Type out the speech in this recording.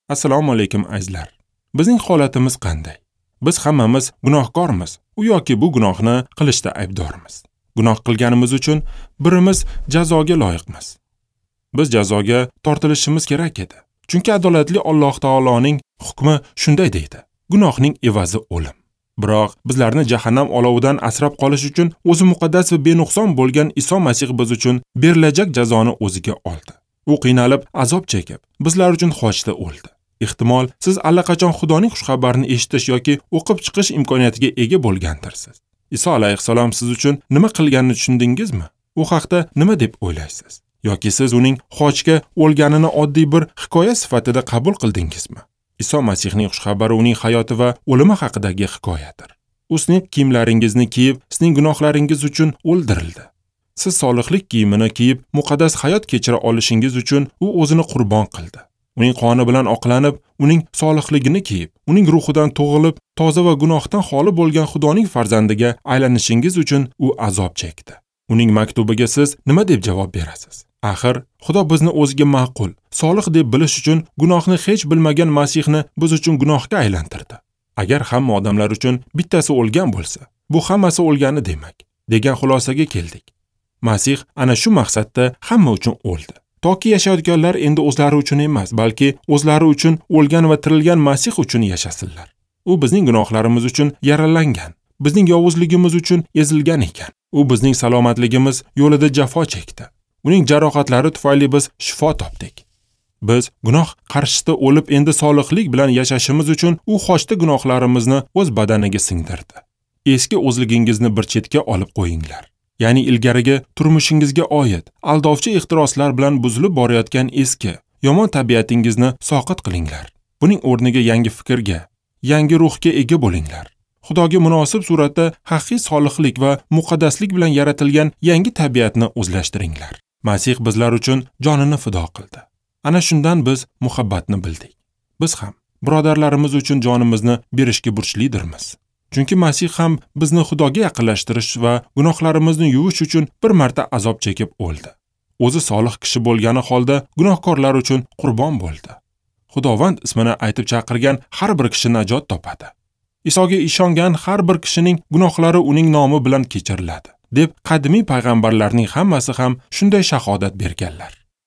Assalomu alaykum azizlar. Bizning holatimiz qanday? Biz hammamiz gunohkormiz. U yoki bu gunohni qilishda aybdormiz. Gunoh qilganimiz uchun birimiz jazoga loyiqmiz. Biz jazoga tortilishimiz kerak edi. Chunki adolatli Alloh taoloning hukmi shunday deydi: gunohning evazi o'lim. Biroq bizlarni jahannam olovidan asrab qolish uchun o'zi muqaddas va benuqson bo'lgan Iso Masih biz uchun berilajak jazoni o'ziga oldi. U qiynalib, azob chekib, bizlar uchun xochda o'ldi. Ehtimol, siz allaqachon Xudoning xushxabarini eshitish yoki o'qib chiqish imkoniyatiga ega bo'lgandirsiz. Iso alayhissalom siz uchun nima qilganini tushundingizmi? U haqda nima deb o'ylaysiz? Yoki siz uning xochga o'lganini oddiy bir hikoya sifatida qabul qildingizmi? Iso Masihning xushxabari uning hayoti va o'limi haqidagi hikoyadir. U sizning kiyimlaringizni kiyib, sizning gunohlaringiz uchun o'ldirildi. Siz solihlik kiyimini kiyib, muqaddas hayot kechira olishingiz uchun u o'zini qurbon qildi. Uning qoni bilan oqlanib, uning solihligini kiyib, uning ruhidan tug'ilib, toza va gunohdan xoli bo'lgan Xudoning farzandiga aylanishingiz uchun u azob chekdi. Uning maktubiga siz nima deb javob berasiz? Axir, Xudo bizni o'ziga ma'qul, solih deb bilish uchun gunohni hech bilmagan Masihni biz uchun gunohga aylantirdi. Agar hamma odamlar uchun bittasi o'lgan bo'lsa, bu hammasi o'lgani demak, degan xulosaga keldik. Masih ana shu maqsadda hamma uchun o'ldi. Toki yashayotganlar endi o'zlari uchun emas, balki o'zlari uchun o'lgan va tirilgan Masih uchun yashasinlar. U bizning gunohlarimiz uchun yaralangan, bizning yovuzligimiz uchun ezilgan ekan. U bizning salomatligimiz yo'lida jafo chekdi. Uning jarohatlari tufayli biz shifo topdik. Biz gunoh qarshisida o'lib, endi solihlik bilan yashashimiz uchun u xochda gunohlarimizni o'z badaniga singdirdi. Eski o'zligingizni bir chetga olib qo'yinglar. Ya'ni ilgarigi turmushingizga oid aldovchi ehtiroslar bilan buzilib borayotgan eski, yomon tabiatingizni soqit qilinglar. Buning o'rniga yangi fikrga, yangi ruhga ega bo'linglar. Xudoga munosib suratda haqiqiy solihlik va muqaddaslik bilan yaratilgan yangi tabiatni o'zlashtiringlar. Masih bizlar uchun jonini fido qildi. Ana shundan biz muhabbatni bildik. Biz ham birodarlarimiz uchun jonimizni berishga burchlidirmiz. Chunki Masih ham bizni Xudoga yaqinlashtirish va gunohlarimizni yuvish uchun bir marta azob chekib o'ldi. O'zi solih kishi bo'lgani holda gunohkorlar uchun qurbon bo'ldi. Xudovand ismini aytib chaqirgan har bir kishi najot topadi. Isoga ishongan har bir kishining gunohlari uning nomi bilan kechiriladi, deb qadimiy payg'ambarlarning hammasi ham shunday shahodat berganlar.